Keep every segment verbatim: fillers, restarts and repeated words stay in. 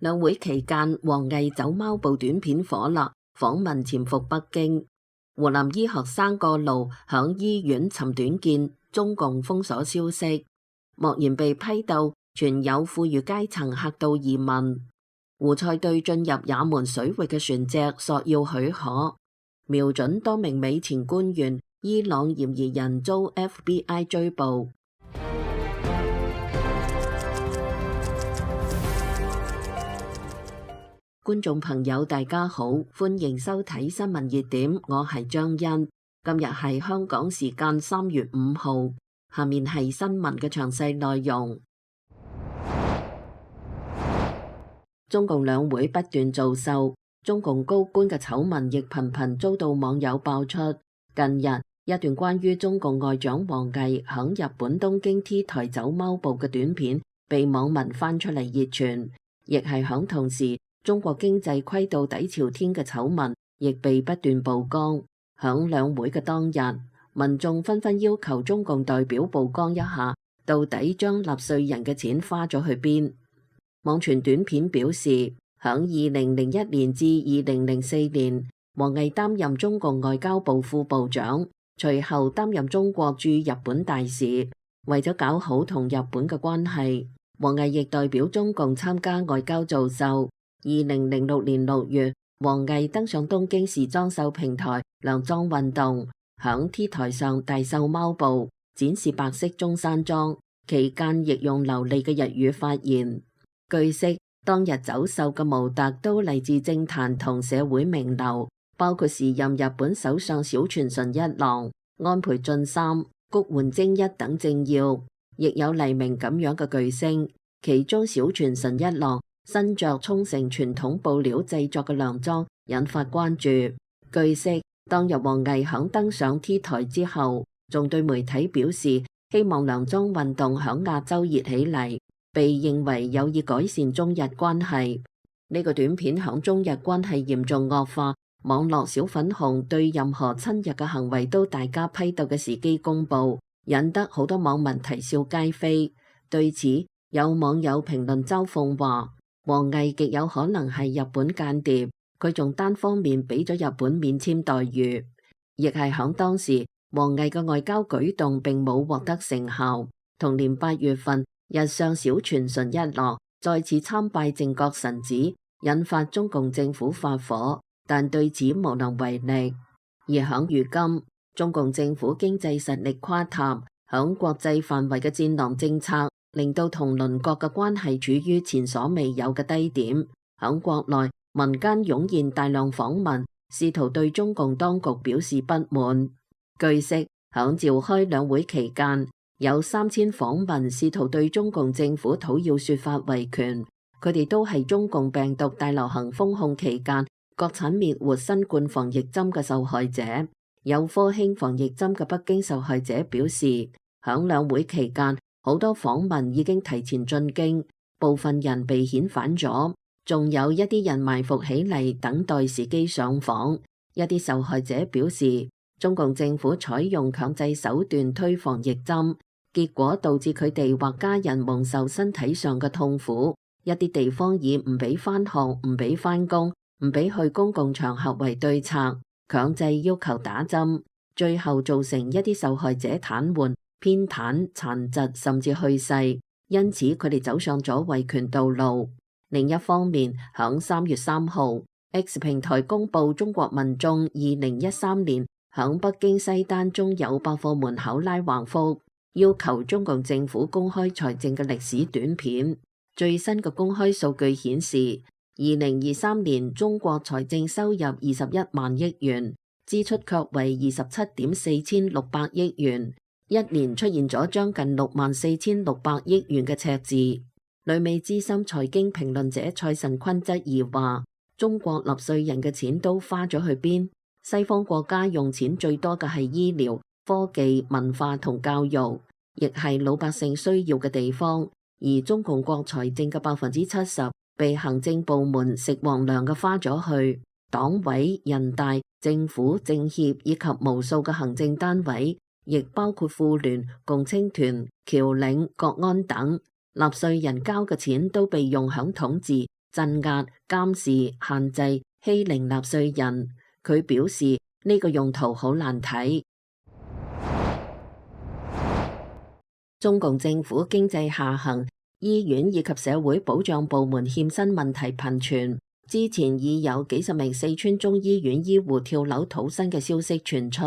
兩會期間，王毅走貓步短片火辣，訪問潛伏北京。湖南醫學生過勞響醫院尋短見，中共封鎖消息，莫言被批鬥，全有富裕階層嚇到移民。胡塞對進入也門水域嘅船隻索要許可，瞄準多名美前官員，伊朗嫌疑人遭 F B I 追捕。觀眾朋友大家好，歡迎收睇新聞熱點，我係張欣。今日係香港時間三月五號，下面係新聞嘅詳細內容。中共兩會不斷造秀，中共高官嘅醜聞亦頻頻遭到網友爆出。近日，一段關於中共外長王毅響日本東京 T 台走貓步嘅短片被網民翻出嚟熱傳，亦係響同時，中國經濟虧到底朝天嘅醜聞亦被不斷曝光。響兩會嘅當日，民眾紛紛要求中共代表曝光一下，到底將納稅人嘅錢花咗去邊。網傳短片表示，響二零零一年至二零零四年，王毅擔任中共外交部副部長，隨後擔任中國駐日本大使。為咗搞好同日本嘅關係，王毅亦代表中共參加外交造秀。二零零六年六月，王毅登上東京時裝秀平台量裝運動，響 T 台上大秀貓步，展示白色中山裝，期間亦用流利嘅日語發言。據悉，當日走秀嘅模特都嚟自政壇同社會名流，包括時任日本首相小泉純一郎、安倍晉三、谷垣精一等政要，亦有黎明咁樣嘅巨星。其中小泉純一郎身着沖繩傳統布料製作嘅涼裝引發關注。據悉，當日王毅響登上 T 台之後，仲對媒體表示希望涼裝運動響亞洲熱起嚟，被認為有意改善中日關係。呢個短片響中日關係嚴重惡化，網絡小粉紅對任何親日嘅行為都大加批鬥嘅時機公佈，引得好多網民啼笑皆非。對此，有網友評論嘲諷話，王毅極有可能係日本間諜，佢仲單方面俾咗日本免簽待遇。亦係響當時，王毅嘅外交舉動並冇獲得成效。同年八月份，日上小泉純一郎再次參拜靖國神寺，引發中共政府發火，但對此無能為力。而響如今，中共政府經濟實力垮塌，響國際範圍嘅戰狼政策令到同鄰國嘅關係處於前所未有嘅低點。響國內，民間湧現大量訪問，試圖對中共當局表示不滿。據悉，響召開兩會期間，有三千訪民試圖對中共政府討要說法維權，佢哋都係中共病毒大流行封控期間國產滅活新冠防疫針嘅受害者。有科興防疫針嘅北京受害者表示，響兩會期間，好多訪民已經提前進京，部分人被遣返咗，仲有一啲人埋伏起嚟等待時機上訪。一啲受害者表示，中共政府採用強制手段推防疫針，結果導致佢哋或家人蒙受身體上嘅痛苦。一啲地方以唔俾返學、唔俾返工、唔俾去公共場合為對策，強制要求打針，最後造成一啲受害者癱瘓、偏癱、殘疾甚至去世，因此佢哋走上咗維權道路。另一方面，響三月三號 X 平台公布中國民眾二零一三年響北京西單中友百貨門口拉橫幅，要求中共政府公開財政嘅歷史短片。最新嘅公開數據顯示，二零二三年中國財政收入二十一萬億元，支出卻為二十七點四千六百億元。一年出現咗將近六萬四千六百億元嘅赤字。旅美資深財經評論者蔡慎坤質疑話，中國納稅人嘅錢都花咗去邊？西方國家用錢最多嘅係醫療、科技、文化同教育，亦係老百姓需要嘅地方。而中共國財政嘅百分之七十被行政部門食皇糧嘅花咗去，黨委、人大、政府、政協以及無數嘅行政單位，亦包括婦聯、共青團、僑領、國安等，納稅人交嘅錢都被用響統治、鎮壓、監視、限制、欺凌納稅人。佢表示呢個用途好難睇。中共政府經濟下行，醫院以及社會保障部門欠薪問題頻傳。之前已有幾十名四川中醫院醫護跳樓討薪嘅消息傳出。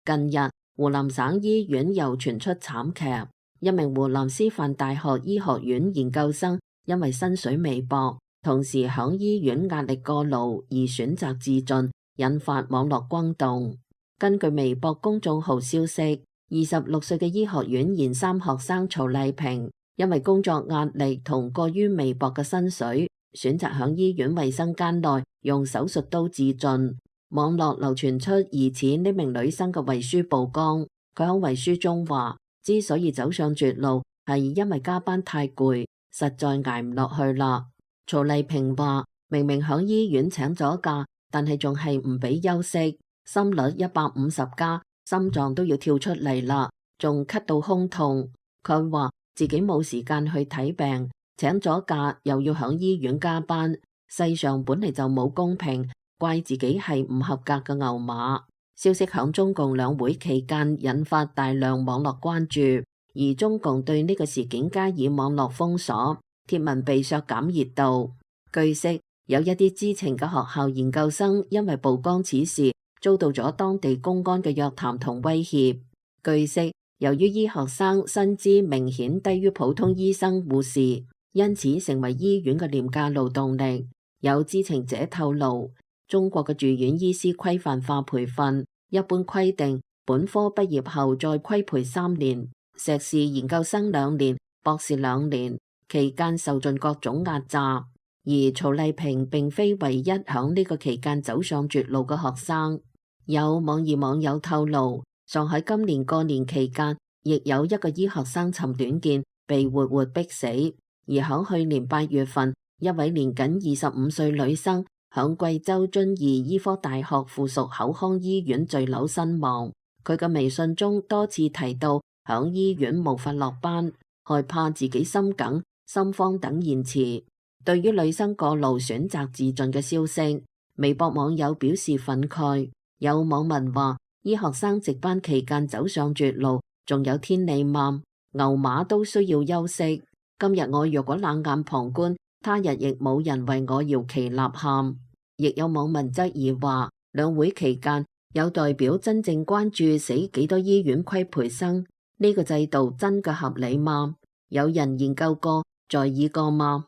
近日，湖南省醫院又傳出慘劇，一名湖南師範大學醫學院研究生因為薪水微薄，同時響醫院壓力過勞而選擇自盡，引發網絡轟動。根據微博公眾號消息，二十六歲嘅醫學院研三學生曹麗萍，因為工作壓力同過於微薄嘅薪水，選擇響醫院衛生間內用手術刀自盡。網絡流傳出疑似呢名女生嘅遺書曝光，佢喺遺書中話，之所以走上絕路，係因為加班太攰，實在捱唔落去啦。曹麗萍話，明明響醫院請咗假，但係仲係唔俾休息，心率一百五十加，心臟都要跳出嚟啦，仲咳到胸痛。佢話自己冇時間去睇病，請咗假又要響醫院加班，世上本嚟就冇公平，怪自己係唔合格嘅牛馬。消息響中共兩會期間引發大量網絡關注，而中共對呢個事件加以網絡封鎖，貼文被削減熱度。據悉，有一啲知情嘅學校研究生因為曝光此事，遭到咗當地公安嘅約談同威脅。據悉，由於醫學生薪資明顯低於普通醫生護士，因此成為醫院嘅廉價勞動力。有知情者透露，中國嘅住院醫師規範化培訓一般規定，本科畢業後再規培三年，碩士研究生兩年，博士兩年，期間受盡各種壓榨。而曹麗萍並非唯一響呢個期間走上絕路嘅學生。有網易網友透露，上海今年過年期間，亦有一個醫學生尋短見被活活逼死。而響去年八月份，一位年僅二十五歲女生響貴州遵義醫科大學附屬口腔醫院墜樓身亡。佢嘅微信中多次提到響醫院無法落班，害怕自己心梗、心慌等言辭。對於女生過勞選擇自盡嘅消息，微博網友表示憤慨。有網民話，醫學生值班期間走上絕路，仲有天理嗎？牛馬都需要休息。今日我若果冷眼旁觀，他日亦冇人為我搖旗吶喊。亦有網民質疑話，兩會期間有代表真正關注死幾多醫院規培生，呢個制度真嘅合理嗎？有人研究過在意過嗎？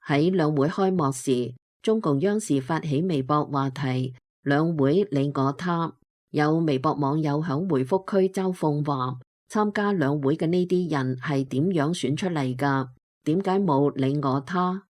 喺兩會開幕時，中共央視發起微博話題兩會你我他。有微博網友響回覆區嘲諷話，參加兩會嘅呢啲人係點樣選出嚟㗎？點解冇你我他？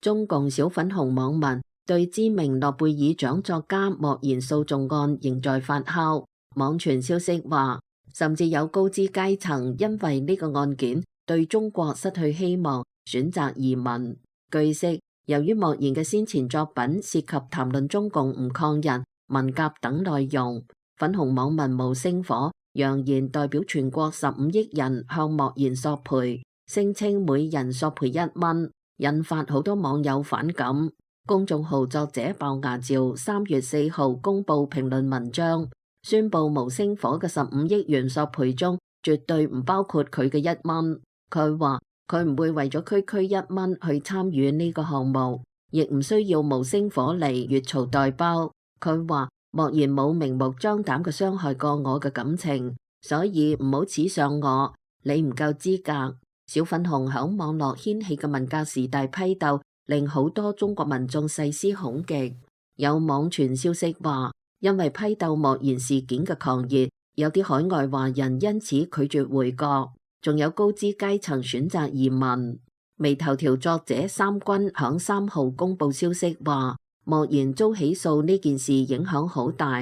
中共小粉紅網民對知名諾貝爾獎作家莫言訴訟案仍在發酵，網傳消息話，甚至有高知階層因為呢個案件對中國失去希望，選擇移民。據悉，由於莫言嘅先前作品涉及談論中共唔抗人、文革等內容，粉紅網民無星火揚言代表全國十五億人向莫言索賠，聲稱每人索賠一蚊，引發好多網友反感。公眾號作者鮑牙照三月四號公布評論文章，宣布無星火嘅十五億元索賠中絕對唔包括佢嘅一蚊。佢話佢唔會為咗區區一蚊去參與呢個項目，亦唔需要無星火嚟越俎代庖。佢話莫言冇明目張膽嘅傷害過我嘅感情，所以唔好恥上我，你唔夠資格。小粉紅響網絡掀起嘅文革時代批鬥，令好多中國民眾細思恐極。有網傳消息話，因為批鬥莫言事件嘅狂熱，有啲海外華人因此拒絕回國，仲有高知階層選擇移民。微頭條作者三軍響三號公布消息話，莫言遭起訴呢件事影響好大。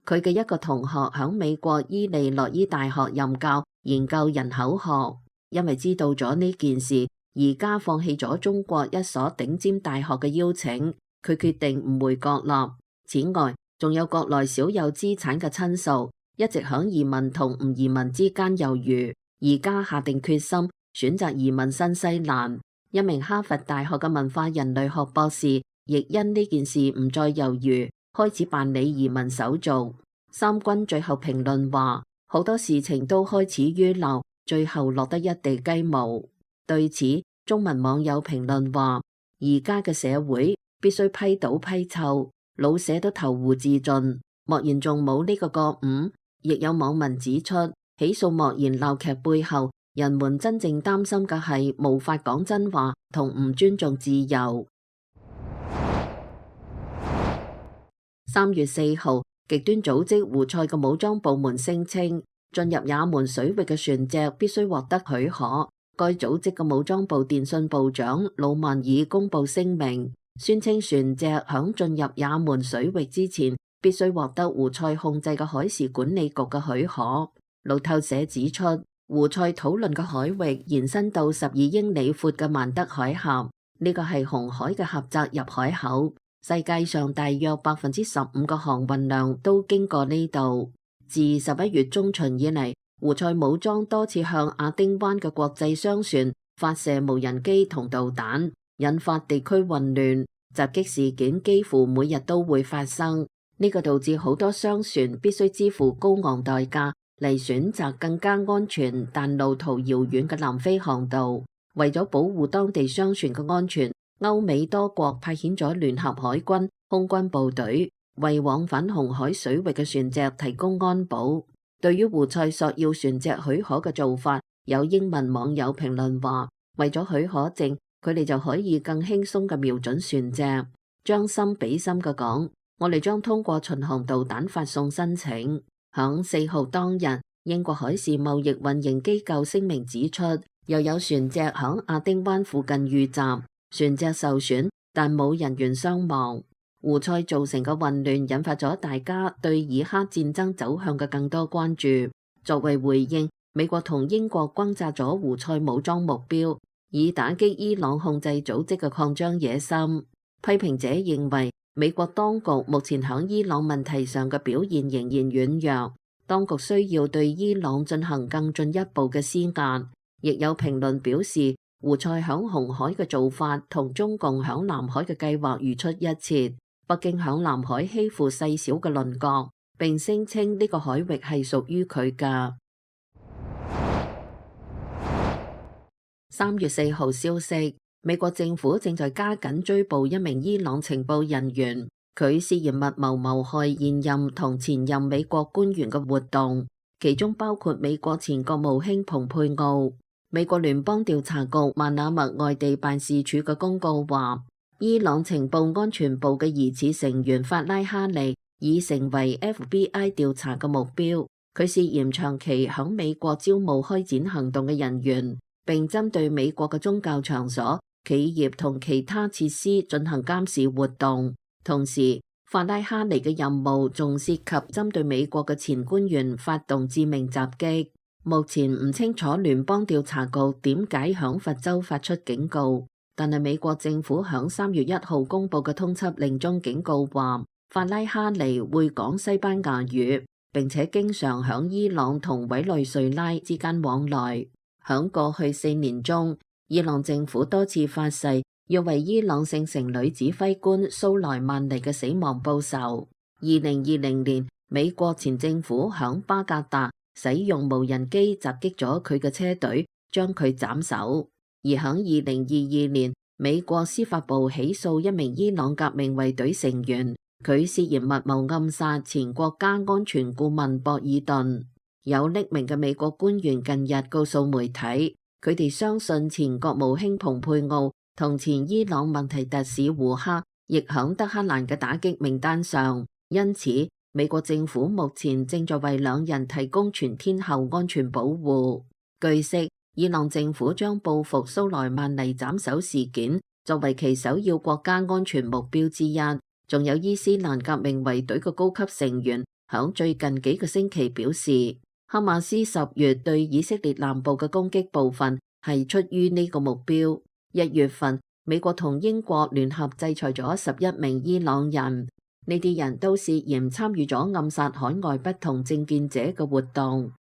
佢嘅一個同學響美國伊利諾伊大學任教研究人口學，因為知道咗呢件事，而家放棄咗中國一所頂尖大學嘅邀請，佢決定唔回國啦。此外，仲有國內少有資產嘅親屬，一直響移民同唔移民之間猶豫，而家下定決心選擇移民新西蘭。一名哈佛大學嘅文化人類學博士亦因呢件事唔再猶豫，開始辦理移民手續。三軍最後評論話，好多事情都開始於鬧，最後落得一地雞毛。對此，中文網友評論話，而家嘅社會必須批倒批臭，老舍都投湖自盡，莫言仲冇呢個覺悟。亦有網民指出，起訴莫言鬧劇背後，人們真正擔心嘅係無法講真話同唔尊重自由。三月四號，極端組織胡塞嘅武裝部門聲稱，進入也門水域嘅船隻必須獲得許可。該組織嘅武裝部電信部長魯曼爾公布聲明，宣稱船隻響進入也門水域之前，必須獲得胡塞控制嘅海事管理局嘅許可。路透社指出，胡塞討論嘅海域延伸到十二英里闊嘅曼德海峽，呢個係紅海嘅狹窄入海口，世界上大約百分之十五嘅航運量都經過呢度。自十一月中旬以嚟，胡塞武裝多次向亞丁灣嘅國際商船發射無人機同導彈，引發地區混亂，襲擊事件幾乎每日都會發生。呢個導致好多商船必須支付高昂代價嚟選擇更加安全但路途遙遠嘅南非航道。為咗保護當地商船嘅安全，歐美多國派遣咗聯合海軍、空軍部隊，為往返紅海水域嘅船隻提供安保。對於胡塞索要船隻許可嘅做法，有英文網友評論話，為咗許可證，佢哋就可以更輕鬆嘅瞄準船隻。將心比心嘅講，我哋將通過巡航導彈發送申請。響四號當日，英國海事貿易運營機構聲明指出，又有船隻響亞丁灣附近遇襲，船隻受損，但冇人員傷亡。胡塞造成嘅混亂引發咗大家對以哈戰爭走向嘅更多關注。作為回應，美國同英國轟炸咗胡塞武裝目標，以打擊伊朗控制組織嘅擴張野心。批評者認為，美國當局目前響伊朗問題上嘅表現仍然軟弱，當局需要對伊朗進行更進一步嘅施壓。亦有評論表示，胡塞響紅海嘅做法同中共響南海嘅計劃如出一轍。北京響南海欺負細小嘅鄰國，並聲稱呢個海域係屬於佢㗎。三月四號消息，美國政府正在加緊追捕一名伊朗情報人員，佢涉嫌密謀謀害現任同前任美國官員嘅活動，其中包括美國前國務卿蓬佩奧。美國聯邦調查局曼阿密外地辦事處嘅公告話，伊朗情報安全部嘅疑似成員法拉哈尼已成為 F B I 調查嘅目標，佢涉嫌長期響美國招募開展行動嘅人員，並針對美國嘅宗教場所、企業同其他設施進行監視活動。同時，法拉哈尼嘅任務仲涉及針對美國嘅前官員發動致命襲擊。目前唔清楚聯邦調查局點解響佛州發出警告，但係美國政府響三月一號公布嘅通緝令中警告話，法拉哈尼會講西班牙語，並且經常響伊朗同委內瑞拉之間往來。響過去四年中，伊朗政府多次發誓要為伊朗聖城女指揮官蘇萊曼尼嘅死亡報仇。二零二零年，美國前政府響巴格達使用無人機襲擊咗佢嘅車隊，將佢斬首。而響二零二二年，美國司法部起訴一名伊朗革命衛隊成員，佢涉嫌密謀暗殺前國家安全顧問博爾頓。有匿名嘅美國官員近日告訴媒體，佢哋相信前國務卿蓬佩奧同前伊朗問題特使胡克亦響德黑蘭嘅打擊名單上，因此美國政府目前正在為兩人提供全天候安全保護。據悉，伊朗政府將報復蘇萊曼尼斬首事件作為其首要國家安全目標之一。仲有伊斯蘭革命衛隊嘅高級成員響最近幾個星期表示，哈馬斯十月對以色列南部嘅攻擊部分係出於呢個目標。一月份，美國同英國聯合制裁咗十一名伊朗人，呢啲人都涉嫌參與咗暗殺海外不同政見者嘅活動。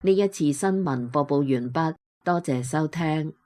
呢一次新聞播報完畢。多謝收聽。